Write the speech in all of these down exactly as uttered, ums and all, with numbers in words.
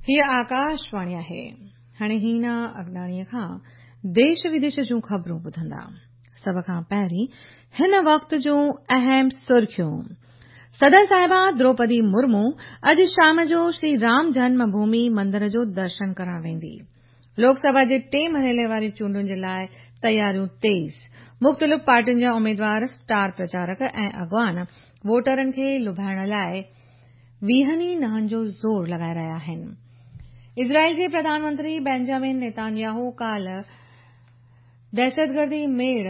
هيء آڪاشواڻي آهي. هاڻي هينا اگناڻيء کان ديش وديش جون خبرون ٻڌندا. سڀ کان پهرين هن وقت جون اهم سرخيون. صدر صاحبه دروپدي مرمو اڄ شام جو شري رام جنم ڀومي مندر جو درشن ڪرڻ ويندي. لوڪ سڀا جي ٽئين مرحلي واري چونڊن جي لاء تياريون تيز. مختلف پارٽين جا اميدوار، اسٽار پرچارڪ ۽ اڳواڻ ووٽرن کي لڀائڻ لاء ويهن ئي نهن جو زور لڳائي رهيا آهن. اسرائيل جي پرڌان منتري بينجامن نيتانياهو ڪالهه دهشتگردي ميڙ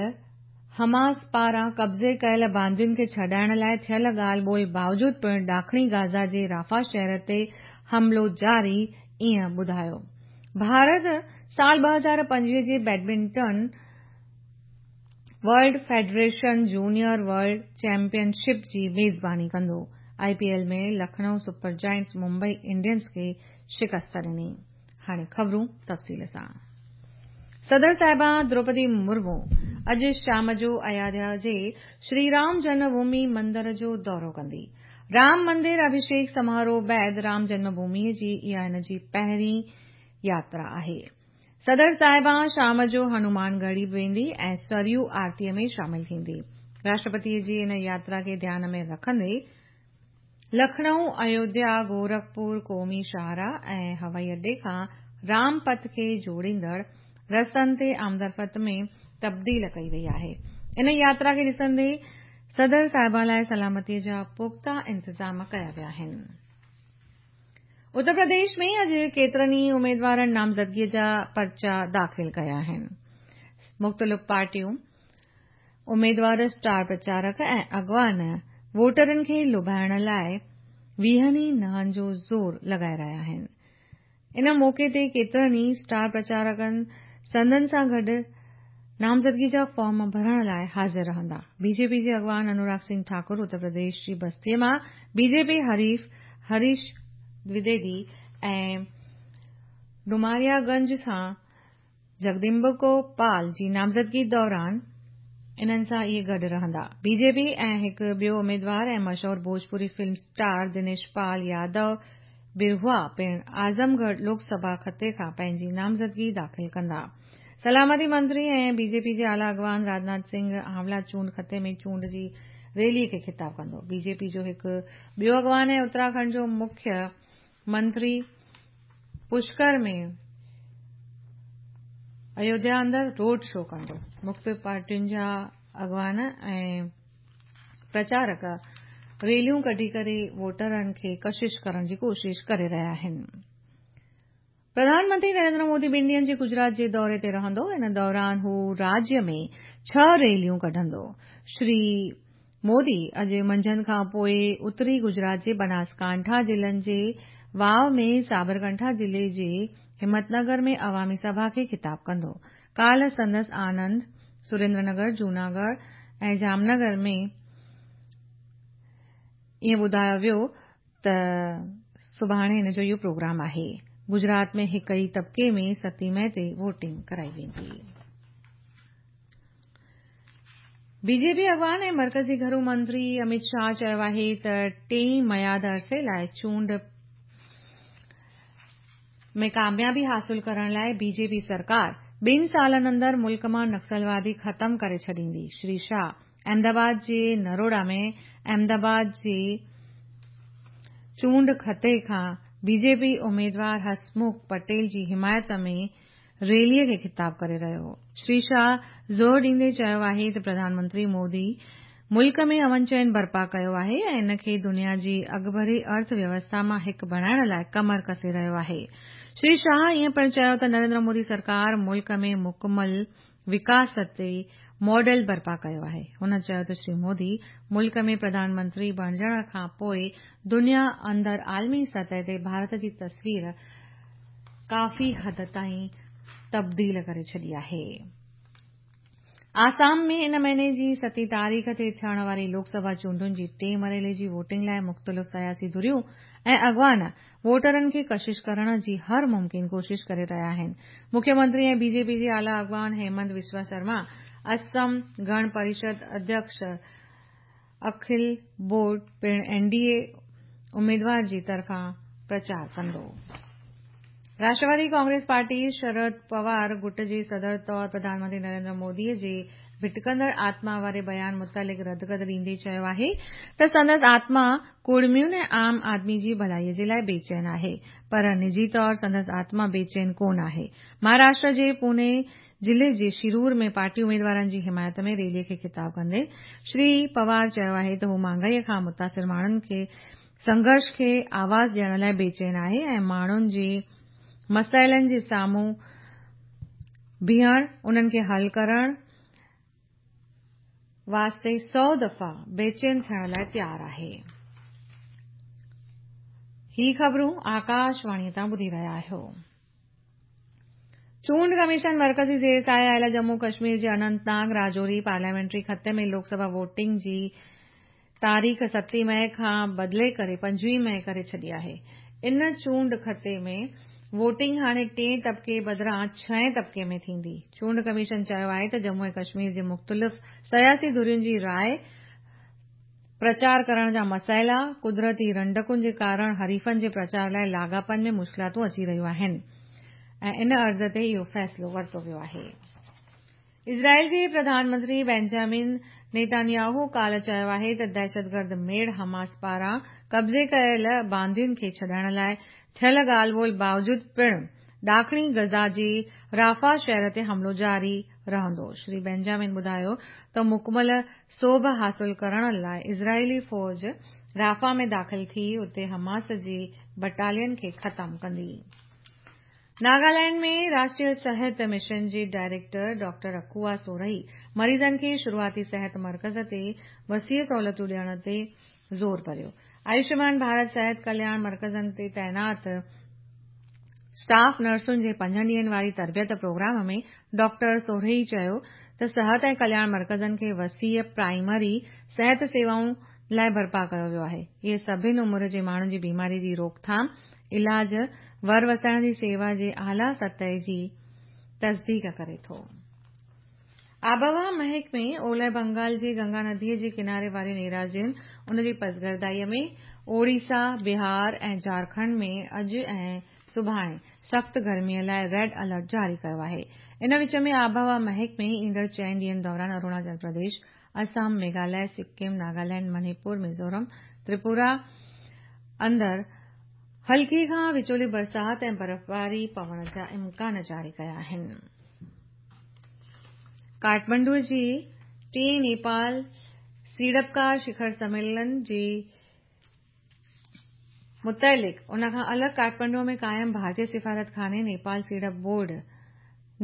حماس پاران قبضي ڪيل باندين کي ڇڏائڻ لاء ٿيل ڳالهه ٻولهه باوجود پڻ ڏاکڻي غزه جي رافا شهر تي حملو جاري ائين ٻڌايو. ڀارت سال ٻه هزار پنجويهه جي badminton world federation junior world championship جي ميزباني ڪندو. I P L ۾ Lucknow super giants Mumbai Indians کي شڪست ڏني. هاڻي خبرون تفصيل سان. صدر صاحبه دروپدي مرمو اڄ شام جو ايوڌيا جي شري رام جنم ڀومي مندر جو دورو ڪندي. رام مندر اڀيشيڪ سماروهه بعد رام جنم ڀومي جي اها هن جي پهرين ياترا آهي. صدر صاحبه شام جو هنومان ڳڙهي به ويندي ۽ سريو آرتيء ۾ شامل ٿيندي. راشٽرپتيء جي ان ياترا کي ڌيان ۾ رکندي لکنؤ، ايوڌيا، گورکپور قومي شاهراهه ۽ هوائي اڏي کان رام پٿ کي جوڙيندڙ رستن تي آمدرفت ۾ تبديل ڪئي وئي آهي. ان ياترا کي ڏسندي صدر صاحبه لاء سلامتيء جا پختا انتظام ڪيا ويا آهن. اتر پرديش ۾ اڄ ڪيترن ئي اميدوارن نامزدگيء جا پرچا داخل ڪيا آهن. مختلف پارٽيون، اميدوار، اسٽار پرچارڪ ۽ اڳواڻ ووٽرن کي لڀائڻ لاء ويهن ئي نهن جو زور لڳائي رهيا آهن. ان موقعي تي ڪيترن ئي اسٽار پرچارڪن سندن سان گڏ نامزدگي جا فارم ڀرڻ لاء حاضر رهندا. بي جي پي جي اڳواڻ انوراگ سنگهه ٺاڪر اتر پرديش جي بستيء مان بي جي پي حريف هريش دويدي ۽ ڊوماريا گنج سان جگدمبڪو پال جي نامزدگي دوران انهن سان اهي گڏ رهندا. بي جي پي ۽ هڪ ٻيو اميدوار ۽ مشهور ڀوجپوري فلم اسٽار دنيش پال يادو برهوا پڻ اعظم ڳڙهه لوڪ سڀا خطي کان پنهنجي نامزدگي داخل ڪندا. سلامتي منتري ۽ بي جي پي جي اعليٰ اڳواڻ راجناٿ سنگهه آنولا چونڊ خطي ۾ چونڊ جي ريلي کي خطاب ڪندو. بي جي پي جو هڪ ٻيو اڳواڻ ۽ اتراکنڊ جو مکيه منتري پشڪر ۾ ايوڌيا اندر روڊ شو ڪندو. مختلف پارٽين جا اڳواڻ ۽ پرچارڪ ريليون ڪڍي ڪري ووٽرن کي ڪشش ڪرڻ جي ڪوشش ڪري رهيا آهن. پرڌان منتري نريندر مودي ٻن ڏينهن جي گجرات جي دوري تي رهندو. ان دوران هو راجيه ۾ ڇهه ريليون ڪڍندو. شري مودي اڄ منجهند کان پوء اتري گجرات جي بناسڪانٺا ضلعن جي واو ۾ سابرڪانٺا ضلعي جي همت نگر ۾ عوامي سڀا کي خطاب ڪندو. ڪالهه سندس آنند، سريندر نگر، جوناڳڙهه ۽ جامنگر ۾ ائين ٻڌايو ويو ته سڀاڻي هن جو اهو پروگرام آهي. گجرات ۾ هڪ ئي طبقي ۾ ستين مئي تي ووٽنگ ڪرائي ويندي. بي جي پي اڳواڻ ۽ مرڪزي گهرو منتري امت شاهه چيو آهي ته ٽئين ميعاد عرصي لاء چونڊ ۾ ڪاميابي حاصل ڪرڻ لاء بي جي پي سرڪار ٻن سالن اندر ملڪ مان نڪسلوادي ختم ڪري ڇڏيندي. شري شاهه احمدآباد جي نروڙا ۾ احمدآباد جي چونڊ خطي کان بي جي پي اميدوار هسمک پٽيل جي حمايت ۾ ريليء کي خطاب ڪري رهيو هو. شري شاهه زور ڏيندي چيو آهي ته پرڌان منتري مودي ملڪ ۾ امن چين برپا ڪيو آهي ۽ ان کي دنيا جي اڳڀري ارٿ ويوسٿا مان هڪ بڻائڻ لاء ڪمر ڪسي رهيو آهي. شري شاهه ائين پڻ چيو ته نريندر مودي سرڪار ملڪ ۾ مڪمل وڪاس تي ماڊل برپا ڪيو آهي. هن چيو ته شري مودي ملڪ ۾ پرڌان منتري بڻجڻ کان پوء دنيا اندر عالمي سطح تي ڀارت جي تصوير ڪافي حد تائين تبديل ڪري ڇڏي آهي. آسام ۾ ان مهيني جي ستين تاريخ تي ٿيڻ واري لوڪ سڀا چونڊن جي ٽئين مرحلي جي ووٽنگ لاء مختلف سياسي ڌريون ۽ اڳواڻ ووٽرن کي ڪشش ڪرڻ جي هر ممڪن ڪوشش ڪري رهيا آهن. مکيه منتري ۽ بي جي پي جي اعليٰ اڳواڻ هيمنت بسوا شرما، اسم گڻ پريشد اڌيڪش اکل بورڊ پڻ اين ڊي اي اميدوار جي طرفان پرچار ڪندو. راشٽروادي ڪانگريس پارٽي شرد پوار گٽ جي صدر طور پرڌان منتري نريندر مودي جي ڀٽڪندڙ آتما واري بيان متعلق ردڪد ڏيندي چيو آهي ته سندس آتما ڪڙمين ۽ عام آدمي جي ڀلائي جي لاء بيچين آهي پر نجي طور سندس آتما بيچين ڪونه آهي. مهاراشٽر جي پوني ضلعي جي شرور ۾ پارٽي اميدوارن جي حمايت ۾ ريلي کي خطاب ڪندي شري پوار چيو آهي ته هو مهانگائي کان متاثر ماڻهن کي سنگهرش کي آواز ڏيڻ لاء بيچين آهي ۽ ماڻهن جي مسئلن جي سامهون بيهڻ انهن کي حل ڪرڻ واسطي سؤ دفعا بيچين ٿيڻ لاء تيار آهي. هي خبرون آڪاشواڻي تان ٻڌي رهيا آهيو. چونڊ ڪميشن مرڪزي زير سايه آيل ڄمون ڪشمير جي اننت ناگ راجوري پارليامينٽري خطي ۾ لوڪ سڀا ووٽنگ جي تاريخ ستين مئي کان بدلي ڪري پنجويهه مئي ڪري ڇڏي آهي. ان چونڊ خطي ۾ ووٽنگ هاڻي ٽئين طبقي بدران ڇهين طبقي ۾ ٿيندي. چونڊ ڪميشن چيو آهي ته ڄمون ۽ ڪشمير جي مختلف سياسي ڌرين جي راءِ، پرچار ڪرڻ جا مسئلا، قدرتي رنڊڪن جي ڪارڻ حريفن جي پرچار لاءِ لاڳاپن ۾ مشڪلاتون اچي رهيون آهن ۽ ان عرض تي اهو فيصلو ورتو ويو آهي. اسرائيل جي پرڌان منتري بينجامن نيتانياهو ڪالهه چيو آهي ته دهشتگرد ميڙ حماس پاران قبضي ڪيل باندين کي ڇڏائڻ لاءِ ٿيل ڳالهه ٻولهه باوجود پڻ ڏاکڻي غزه جي رافا شهر تي حملو جاري رهندو. شري بينجامن ٻڌايو ته مڪمل سوڀ حاصل ڪرڻ لاءِ اسرائيلي فوج رافا ۾ داخل ٿي اتي حماس جي بٽالين کي ختم ڪندي. ناگالينڊ ۾ راشٽريه صحت مشن جي ڊائريڪٽر ڊاڪٽر اڪوا سورهي مريضن کي شروعاتي صحت مرڪز تي وسيع سهولتون ڏيڻ تي زور ڀريو. آيوشمان ڀارت صحت ڪلياڻ مرڪزن تي تعينات اسٽاف نرسن جي پنجن ڏينهن واري تربيت پروگرام ۾ ڊاڪٽر سورهي چيو ته صحت ۽ ڪلياڻ مرڪزن کي وسيع پرائمري صحت سيوائن لاءِ برپا ڪيو ويو آهي. اهي سڀني عمر جي ماڻهن جي بيماري جي روڪٿام، علاج، ور وسائڻ جي سيوا جي اعليٰ سطح جي تصديق ڪري ٿو. آبهوا محڪمي اولهه بنگال جي گنگا نديءَ جي ڪناري وارين ايراضين، ان جي پسگردائيءَ ۾ اوڙيسا، بهار ۽ جهارکنڊ ۾ اڄ ۽ سڀاڻي سخت گرميءَ لاءِ ريڊ الرٽ جاري ڪيو آهي. ان وچ ۾ آبهوا محڪمي ايندڙ چئن ڏينهن دوران اروناچل پرديش، آسام، ميگهاليه، سڪم، ناگالينڊ، منيپور، ميزورم، تريپورا اندر هلڪي کان وچولي برسات ۽ برفباري پوڻ جا امڪان جاري ڪيا آهن. ڪاٺمانڊو جي ٽئين نيپال سيڙپڪار شکر سميلن جي متعلق ان کان الڳ ڪاٺمانڊو ۾ قائم ڀارتيه سفارتخاني نيپال سيڙپ board,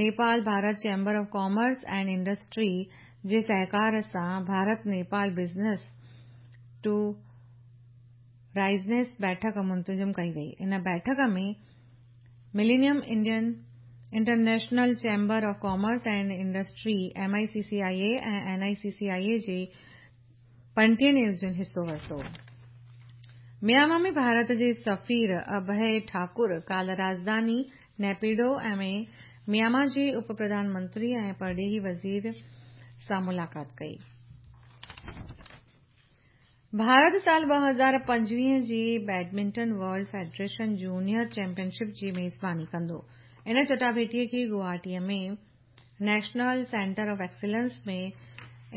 Nepal Bharat chamber of commerce and industry جي سهڪار سان ڀارت نيپال بزنس ٽو رائزنس بيٺڪ منتظم ڪئي وئي. ان بيٺڪ ۾ millennium Indian international chamber of commerce and industry M I C C I A ۽ N I C C I A جي پنجٽيهن عيوضين حصو ورتو. ميانما ۾ ڀارت جي سفير اڀي ٺاڪر ڪالهه راڄڌاني نيپيڊو ۾ ميانما جي اپ پرڌان منتري ۽ پرڏيهي وزير سان ملاقات ڪئي. ڀارت سال ٻه هزار پنجويهه جي badminton world federation junior championship جي ميزباني ڪندو. ان چٽاڀيٽيءَ کي گوهاٽيءَ ۾ نيشنل سينٽر آف ايڪسيلنس ۾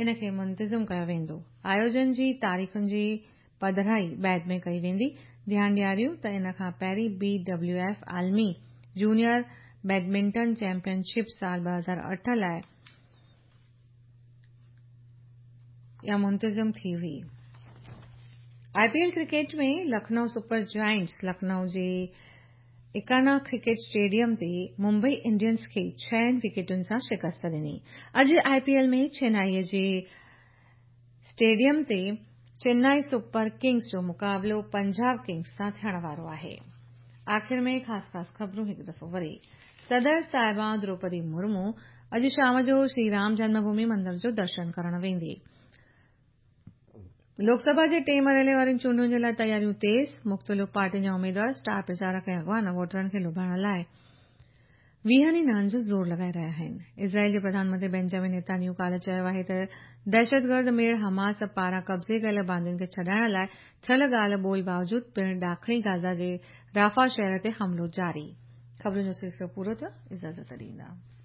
ان کي منتظم ڪيو ويندو. آيوجن جي تاريخن جي پڌرائي بعد ۾ ڪئي ويندي. ڌيان ڏياريون ته ان کان پهرين بي ڊبليو ايف عالمي جونيئر بيڊمنٽن چيمپئن شپ سال ٻه هزار اٺ لاءِ اها منتظم ٿي هئي. I P L cricket ۾ Lucknow super giants Lucknow جي ايڪانا ڪرڪيٽ اسٽيڊيم تي ممبئي انڊينز کي ڇهن وڪيٽن سان شڪست ڏني. اڄ I P L ۾ چنائي جي اسٽيڊيم تي چنائي سپر ڪنگز جو مقابلو پنجاب ڪنگز سان ٿيڻ وارو آهي. آخر ۾ خاص خاص خبرون هڪ دفعو وري. صدر صاحبه دروپدي مرمو اڄ شام جو شري رام جنم ڀومي مندر جو درشن ڪرڻ ويندي. لوڪسڀا جي ٽئين مرحلي وارين چونڊن جي لاءِ تياريون تيز، مختلف پارٽين جا اميدوار، اسٽار پرچارڪ ۽ اڳواڻ ووٽرن کي لڀائڻ لاءِ ويهن ئي ناڻن جو زور لڳائي رهيا آهن. اسرائيل جي پرڌان منتري بينجامن نيتانياهو ڪالهه چيو آهي ته دهشتگرد ميڙ حماس پاران قبضي ڪيل باندين کي ڇڏائڻ لاءِ ٿيل ڳالهه ٻولهه باوجود پڻ ڏاکڻي غزه جي رافا شهر تي حملو جاري. ख़बरुनि जो सिलसिलो पूरो थियो। इजाज़त ॾींदा।